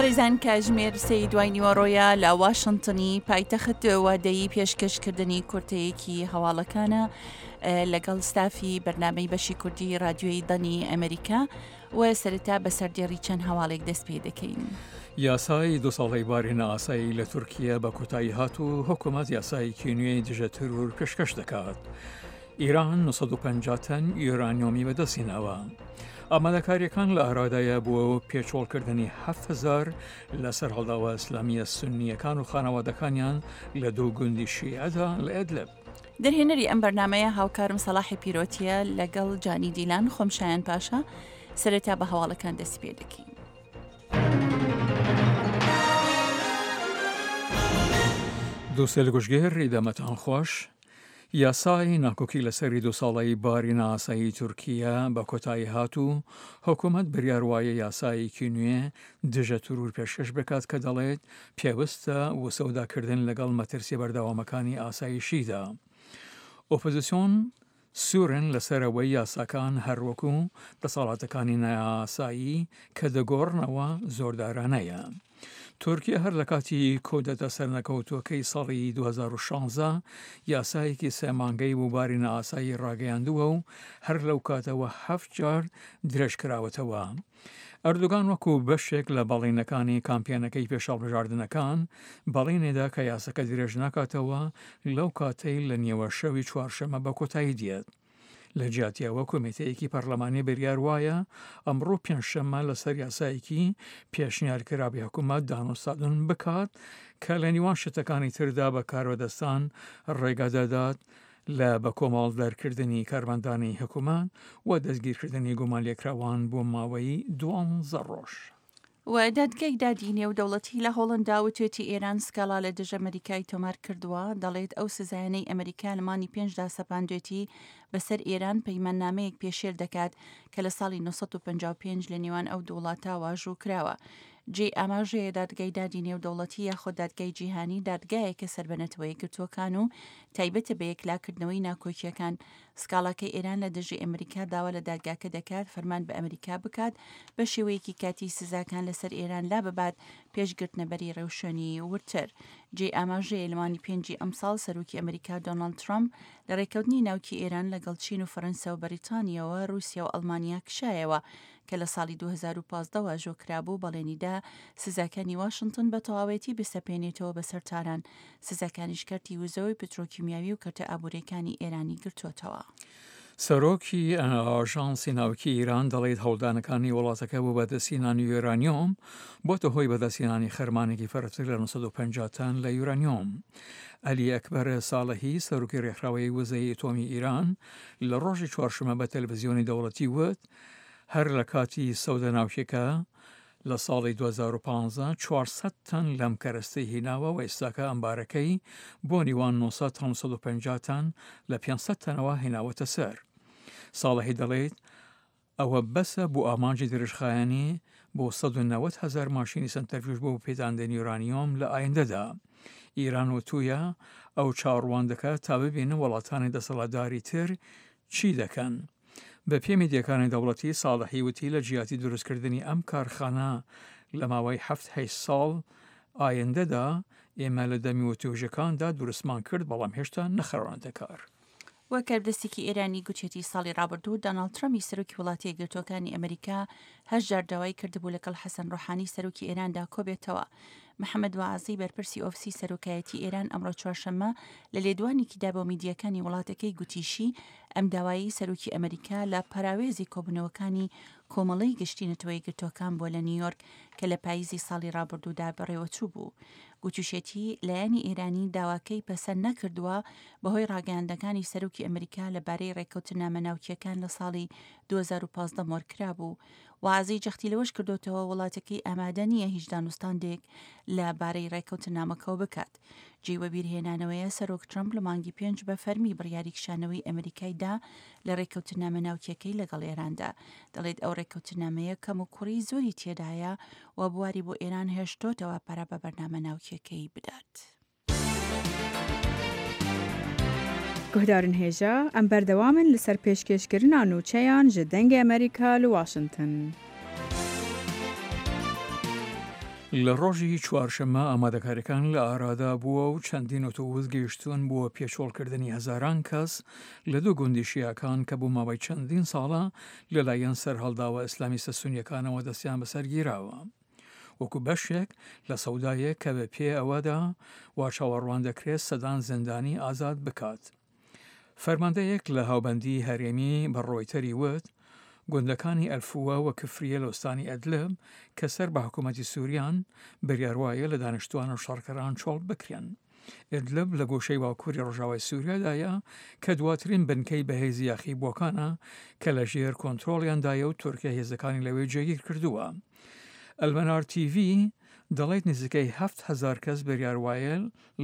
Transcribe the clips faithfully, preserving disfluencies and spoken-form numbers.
بەڕێزان کاژمێر سێی دوای نیوەڕۆیە لە واشنگتنی پایتەخت وادەیی پێشکەشکردنی کورتەیەکی هەواڵەکانە لەگەڵ ستافی بەرنامەی بەشی کوردی رادیۆی دەنگی ئەمریکا و سەرەتا بە سەردێڕی چەند هەواڵێک دەست پێ دەکەین. یاسای دو ساڵەی باری نائاسایی لە تورکیا بە کۆتایی هات و حکوومەت یاسایەکی نوێی دژە ترور پێشکەش دەکات. ئیران نۆ سەد و پەنجا تەن یۆرانیۆمی بەدەستهێناوە. ئامادەکاریەکان لە ئارادایە بۆ پێچۆڵکردنی هەفت هەزار لە سەرهەڵداوە ئیسلامیە سونیەکان و خانەوادەکانیان لە دوو گوندی شیعەدا لە ئەدلب. دەرهێنەری ئەم بەرنمەیە هاوکارم سەلاحی پیرۆتیە لەگەڵ جانی دیلان، خۆم شایان پاشا. سەرەتا بە هەواڵەکان دەست پێ دەکەین. دووسێ لە گوشگێر ئیدامەتان خۆش. یاسای ناکۆکی لەسەری دوو ساڵەی باری نائاسایی تورکیا بە کۆتایی هات و حکوومەت بریار وایە یاسایەکی نوێ دژە ترور پێشکەش بکات کە دەڵێت پێویستە وسەوداکردن لەگەڵ مەترسی بەردەوامەکانی ئاسایشیدا. ئۆپۆزیسیۆن سوورن لەسەرەوەی یاساکان هەروەکو دەسەڵاتەکانی نایاسایی کە دەگۆڕنەوە زۆردارانەیە. تورکیا هەر لە کاتی کۆدەتە سەرنەکەوتووەکەی ساڵی دوو هەزار و شازدە یاسایەکی سێ مانگەی بۆ باری نائاسایی ڕاگەیاندووە و هەر لەو کاتەوە هەفت جار درێژ کراوەتەوە. ئەردۆگان وەکو بەشێک لە بەڵینەکانی کامپیەنەکەی پێشهەڵبژاردنەکان بەڵینێدا کە یاسەکە درێژ ناکاتەوە لەو کاتەی لە نیوە شەوی چوارشەمە بە کۆتایی دێت. لە جیاتیەوە کۆمیتەیەکی پەرلەمانی بریار وایە ئەمڕۆ پێنجشەممە لەسەر یاسایەکی پێشنیارکراوی حکوومەت دانوستاندن بکات کە لە نێوان شتەکانی تردا بە کاربەدەستان ڕێگا دەدات لە بە کۆمەڵ دەرکردنی کارمەندانی حکوومەت و دەستگیرکردنی گومانلێکراوان بۆ ماوەی دوانزە ڕۆژ. و دادگای دادی نێودەوڵەتی لە هۆڵندا وتوێتی ئێران سکاڵا لە دژ ئەمریکای تۆمار کردووە. دەڵێت ئەو سزایانەی ئەمریکا لە مانگی پێنجدا سەپاندوێتی بەسەر ئێران پەیماننامەیەک پێشێل دەکات کە لە ساڵی نۆ سەد و پەنجا و پێنج لە نێوان ئەو دوو وڵاتە واژوو کراوە. جێی ئاماژەیە دادگای دادی نێودەوڵەتی یاخود دادگای جیهانی دادگایەکە سەر بە نەتەوە یەکگرتووەکان و تایبەتە بە یەکلاکردنەوەی ناکۆکیەکان. سکاڵاکەی ئێران لە دژی ئەمریکا داوا لە دادگاکە دەکات فەرمان بە ئەمریکا بکات بە شێوەیەکی کاتی سزاکان لەسەر ئێران لا ببات پێشگرتنەبەری ڕێوشوێنی وردتر. جێی ئاماژەیە لە مانگی پێنجی ئەمساڵ سەرۆکی ئەمریکا دۆناڵد ترامپ لە ڕێککەوتنی ناوکی ئێران لەگەڵ چین و فەرەنسا و بەریتانیاوە رووسیا و ئەڵمانیا کشایەوە کە لە ساڵی دوو هەزار و پازدە واژۆ کرابوو بەڵێنیدا سزاکانی واشنگتن بە تەواوێتی بسەپێنێتەوە بەسەر تاران. سزاکانیش کەرتی وزەوەی پترۆکیمیاوی و کەرتە ئابووریەکانی ئێرانی گرتووەتەوە. سەرۆکی ئاژانسی ناوکی ئیران دەڵێت هەوڵدانەکانی وڵاتەکە بۆ بەدەستهێنانی یۆرانیۆم بۆتە هۆی بەدەستهێنانی خەرمانێکی فەرتر لە نۆ سەد و پەنجا تەن لە یۆرانیۆم. عەلی ئەکبەر ساڵحی سەرۆکی ڕێکخراوەی وزەی ئەتۆمی ئیران لە ڕۆژی چوارشەممە بە تەلەڤزیۆنی دەوڵەتی وت هەر لە کاتی سەودە ناوکیەکە لە ساڵی دوو هەزار و پازدە چوار سەد تەن لەم کەرەستەی هیناوە و ئێستاکە ئەمبارەکەی بۆ نیوان نۆ سەد تا نۆ سەد و پەنجا تەن لە پێنج سەد تەنەوە هێناوەتە سەر. ساڵحی دەڵێت ئەوە بەسە بۆ ئامانجی درێژخایەنی بۆ سەد و نەوەد هەزار ماشینی سەنتەرفیوژ بۆ پێداندنی یورانیۆم لە ئایندەدا. ئیران وتوویە ئەو چاوەڕوان دەکات تا ببینن وڵاتانی دەسەڵاتداری تر چی دەکەن. بە پێی میدیاکانی دەوڵەتی ساڵحی وتی لە جیاتی دروستکردنی ئەم کارخانە لە ماوەی هەفت هەشت ساڵ ئایندەدا ئێمە لە دەمی وتوێژەکاندا دروستمان کرد بەڵام هێشتا نەخراونەتە کار. وەک کاربەدەستێکی ئێرانی گوتیەتی ساڵی ڕابردوو دۆناڵد ترەمپی سەرۆکی وڵاتی یەکگرتووەکانی ئەمریکا هەشت جار داوای کردبوو لەگەڵ حەسەن ڕۆحانی سەرۆکی ئێراندا کۆبێتەوە. محەممەد واعزی بەرپرسی ئۆفسی سەرۆکایەتی ئێران ئەمڕۆ چوارشەممە لە لێدوانێکیدا بۆ میدیاکانی وڵاتەکەی گوتیشی ئەم داوایی سەرۆکی ئەمریکا لە پەراوێزی کۆبوونەوەکانی کۆمەڵەی گشتی نەتەوە یەکگرتووەکان بووە لە نیویۆرک کە لە پاییزی ساڵی ڕابردوودا بەڕێوەچوو بوو. گوتیشێتی لایەنی ئێرانی داواکەی پەسەند نەکردووە بەهۆی ڕاگەیاندەکانی سەرۆکی ئەمریکا لەبارەی ڕێککەوتنامە ناوکیەکان لە ساڵی دوو هەزار و پازدە مۆرکرا بوو. وازی جەختی لەوەش کردوتەوە وڵاتەکەی ئامادە نییە هیچ دانوستاندێک لە بارەی ڕێککەوتنامەکەوە بکات. جێی وەبیرهێنانەوەیە سەرۆک ترەمپ لە مانگی پێنج بە فەرمی بڕیاری کشانەوەی ئەمریکای دا لە ڕێککەوتنامە ناوکیەکەی لەگەڵ ئێراندا. دەڵێت ئەو ڕێککەوتنامەیە کەم و کوڕی زۆری تێدایە و بواری بۆ ئێران هێشتۆتەوە پەرە بە بەرنامە ناوکیەکەی بدات. گوهدارن هێژا ئەم بەردەوامن لەسەر پێشکێشکردنا نوچەیان ji دەنگê ئەمریکا لە واشنگتن. لە ڕۆژی چوارشەممە ئامادەکاریەکان لە ئارادا بووە و چەندین ئۆتۆبوس گەیشتوون بۆ پێچۆڵکردنی هەزاران کەس لە دوو گوندی شیعەکان کە بۆ ماوەی چەندین ساڵە لەلایەن سەرهەڵداوە ئیسلامیستە سونیەکانەوە دەستیان بەسەر گیراوە، وەکو بەشێک لە سەودایەک کە بە پێ ئەوەدا وا چاوەڕوان دەکرێت سەدان زیندانی ئازاد بکات. فەرماندەیەک لە هاوبەندی هەرێمی بە ڕۆیتەری وت، گوندەکانی ئەلفووە و کفریە لە ئوستانی ئەدلب کە سەر بە حکوومەتی سووریان، بڕیار وایە لە دانیشتووان و شەڕکەران چۆڵ بکرێن. ئیدلب لە گۆشەی باکووری ڕۆژاوای سووریادایە کە دواترین بنکەی بەهێزی یاخیبووەکانە کە لە ژێر کۆنترۆڵیاندایە و تورکیا هێزەکانی لەوێ جێگیر کردووە. ئەلمەنار تیڤی دەڵێت نزیکەی هەفت هەزار کەس بڕیار وایە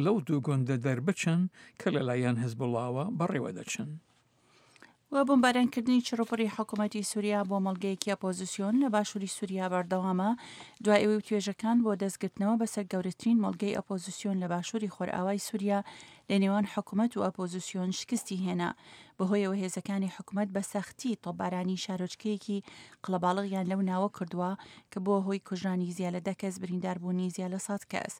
لەو دوو گوندە دەربچن کە لەلایەن حزبوڵڵاوە بەڕێوە دەچن. و بۆمبارانکردنی چڕوپڕی حکوومەتی سووریا بۆ مەڵگەیەکی ئۆپۆزیسیۆن لە باشووری سووریا بەردەوامە، دوای ئەوەی توێژەکان بۆ دەستگرتنەوە بەسەر گەورەترین مۆڵگەی ئۆپۆزیسیۆن لە باشووری خۆرئاوای سووریا لە نێوان حکوومەت و ئۆپۆزیسیۆن شکستی هێنا. بەهۆیەوە هێزەکانی حکوومەت بە سەختی تۆپبارانی شارۆچکەیەکی قەڵەباڵغیان لەو ناوە کردووە کە بووە هۆی کوژرانی زیاد لە دە کەس، برینداربوونی زیاد لە سەد کەس.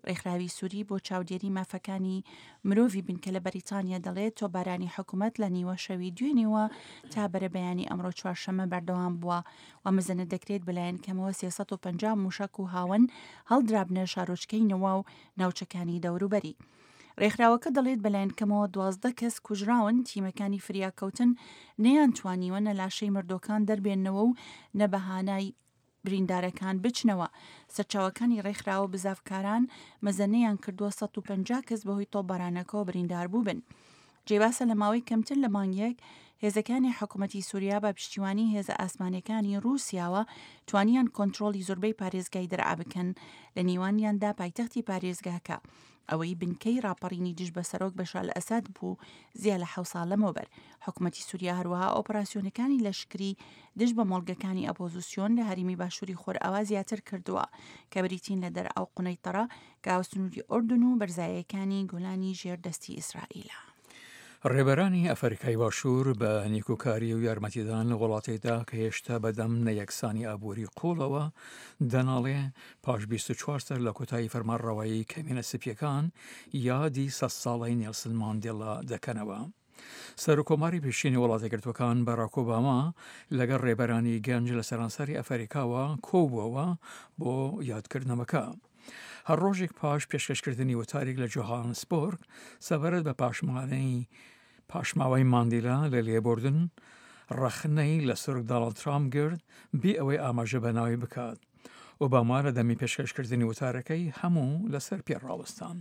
ڕێکخراوی سووری بۆ چاودێری مافەکانی مرۆڤی بنکە لە بەریتانیا دەڵێت تۆپبارانی حکوومەت لە نیوە شەوی دوێنێوە تا بەرەبەیانی ئەمڕۆ چوارشەممە بەردەوام بووە و مەزەنە دەکرێت بەلایەن کەمەوە سێ سەد و پەنجا موشەک و هاوەن هەڵدرابنە شارۆچکەی نەوا و ناوچەکانی دەوروبەری. ڕێکخراوەکە دەڵێت بەلایەن کەمەوە دوازدە کەس کوژراون، تیمەکانی فریاکەوتن نەیانتوانیوە نە لاشەی مردۆکان دەربێننەوە و نە بەهانای بریندارەکان بچنەوە. سەرچاوەکانی ڕێکخراوە بزافکاران مەزەنەیان کردووە سەد و پەنجا کەس بەهۆی تۆپبارانەکەوە بریندار بووبن. جێباسە لە ماوەی کەمتر لە مانگێک هێزەکانی حکوومەتی سووریا بە پشتیوانی هێزە ئاسمانیەکانی رووسیاوە توانیان کۆنترۆڵی زۆربەی پارێزگای دەرعا بکەن، لە نێوانیاندا پایتەختی پارێزگاکە، ئەوەی بنکەی ڕاپەڕینی دژ بە سەرۆک بەشار ئەسەد بوو زیاد لە حەوت ساڵ لەمەوبەر. حکوومەتی سووریا هەروەها ئۆپەراسیۆنەکانی لەشکری دژ بە مۆڵگەکانی ئۆپۆزیسیۆن لە هەرێمی باشووری خۆرئاوا زیاتر کردووە کە بریتین لە دەرعا و قونەیتەڕە کە هاوسنووری ئوردن و بەرزاییەکانی گۆلانی ژێر دەستی ئیسرائیلە. ڕێبەرانی ئەفریقای باشوور بە نیکۆکاری و یارمەتیدان لە وڵاتێکدا کە هێشتا بەدەم نەیەکسانی ئابووری قوڵەوە دەناڵێ، پاش بیست و چوار سەر لە کۆتایی فەرمانڕەوایی کەمینە سپیەکان یادی سەد ساڵەی نێلسن ماندێلا دەکەنەوە. سەرۆکۆماری پێشینی وڵاتەگرتوەکان باراک ئۆباما لەگەڵ ڕێبەرانی گەنج لە سەرانسەری ئەفریکاوە کۆبووەوە بۆ یادکردنەوەکە. هەر ڕۆژێک پاش پێشکەشکردنی وتارێک لە جۆهانسبۆرگ سەبارەت بە پاشمانەی پاشماوەی ماندیلا لە لێبوردن، ڕەخنەی لە سەرۆک داناڵد ترامپ گرت بێ ئەوەی ئاماژە بە ناوی بکات. ئۆباما لە دەمی پێشکەشکردنی وتارەکەی هەموو لەسەر پێ ڕاوەستان.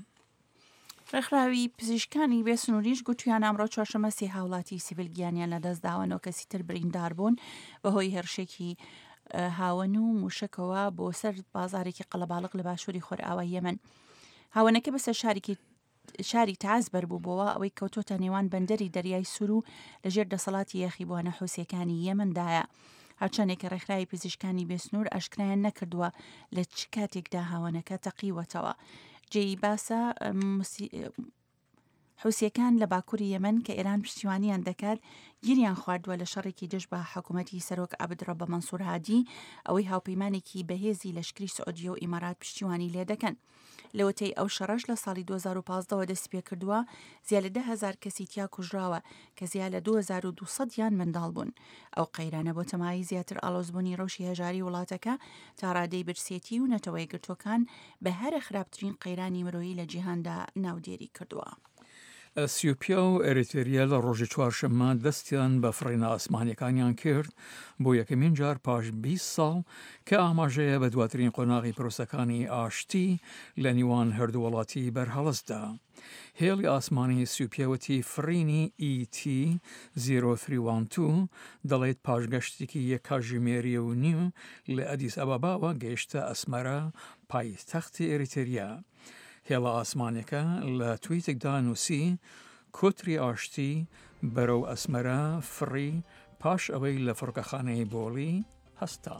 ڕێکخراوی پزیشکانی بێسنووریش گوتیان ئەمڕۆ چوارشەممە سێ هاوڵاتی سیڤیل گیانیان لەدەستداوە، نۆ کەسی تر بریندار بوون بەهۆی هێرشێکی هاوەن و موشەکەوە بۆ سەر بازارێکی قەڵەباڵغ لە باشووری خۆرئاوای یەمەن. هاوەنەکە بەسەر شارێکی شاری تەعز بەربووبەوە، ئەوەی کەوتۆتە نێوان بەندەری دەریای سوور و لەژێر دەسەڵاتی یاخیبووانە حوسیەکانی یەمەندایە. هەرچەندێکە ڕێکخراوی پزیشکانی بێسنوور ئاشکرایان نەکردووە لە چ کاتێکدا هاوەنەکە تەقیوەتەوە. جێی باسە حوسیەکان لە باکووری یەمەن کە ئێران پشتیوانیان دەکات گیریان خواردووە لە شەڕێکی دژ بە حکوومەتی سەرۆک عەبدڕەبە مەنسوور هادی، ئەوەی هاوپەیمانێکی بەهێزی لەشکری سعودیە و ئیمارات پشتیوانی لێ دەکەن. لەوەتەی ئەو شەڕەش لە ساڵی دوو هەزار و پازدە وە دەستی پێکردووە، زیاد لە ده هەزار کەسی تیا کوژراوە کە زیاد لە دوو هەزار و دوو سەد یان منداڵ بوون. ئەو قەیرانە بۆ تەمایی زیاتر ئاڵۆزبوونی ڕەوشی هەژاری وڵاتەکە تا ڕادەی برسێتی و نەتەوەیەکگرتووەکان بە هەرە خراپترین قەیرانی مرۆیی لە جیهاندا ناودێری کردووە. ئەسیوپیا و ئەریتریا لە ڕۆژی چوارشەممە دەستیان بە فڕینە ئاسمانیەکانیان کرد بۆ یەکەمین جار پاش بیست ساڵ کە ئاماژەیە بە دواترین قۆناغی پرۆسەکانی ئاشتی لە نێوان هەردوو وڵاتی بەرهەڵستدا. هێڵی ئاسمانی ئەسیوپیا وتی فڕینی ئی تی زیرۆ سێ یەک دوو دەڵێت پاش گەشتێکی یەک کاتژمێری و نیو لە ئەدیس ئەباباوە گەیشتە ئەسمەرە پایتەختی ئەریتریا. هێڵە ئاسمانەکە لە تویتێکدا نووسی کۆتری ئاشتی بەرەو ئەسمەرە فڕی پاش ئەوەی لە فڕۆکەخانەی بۆڵی هەستا.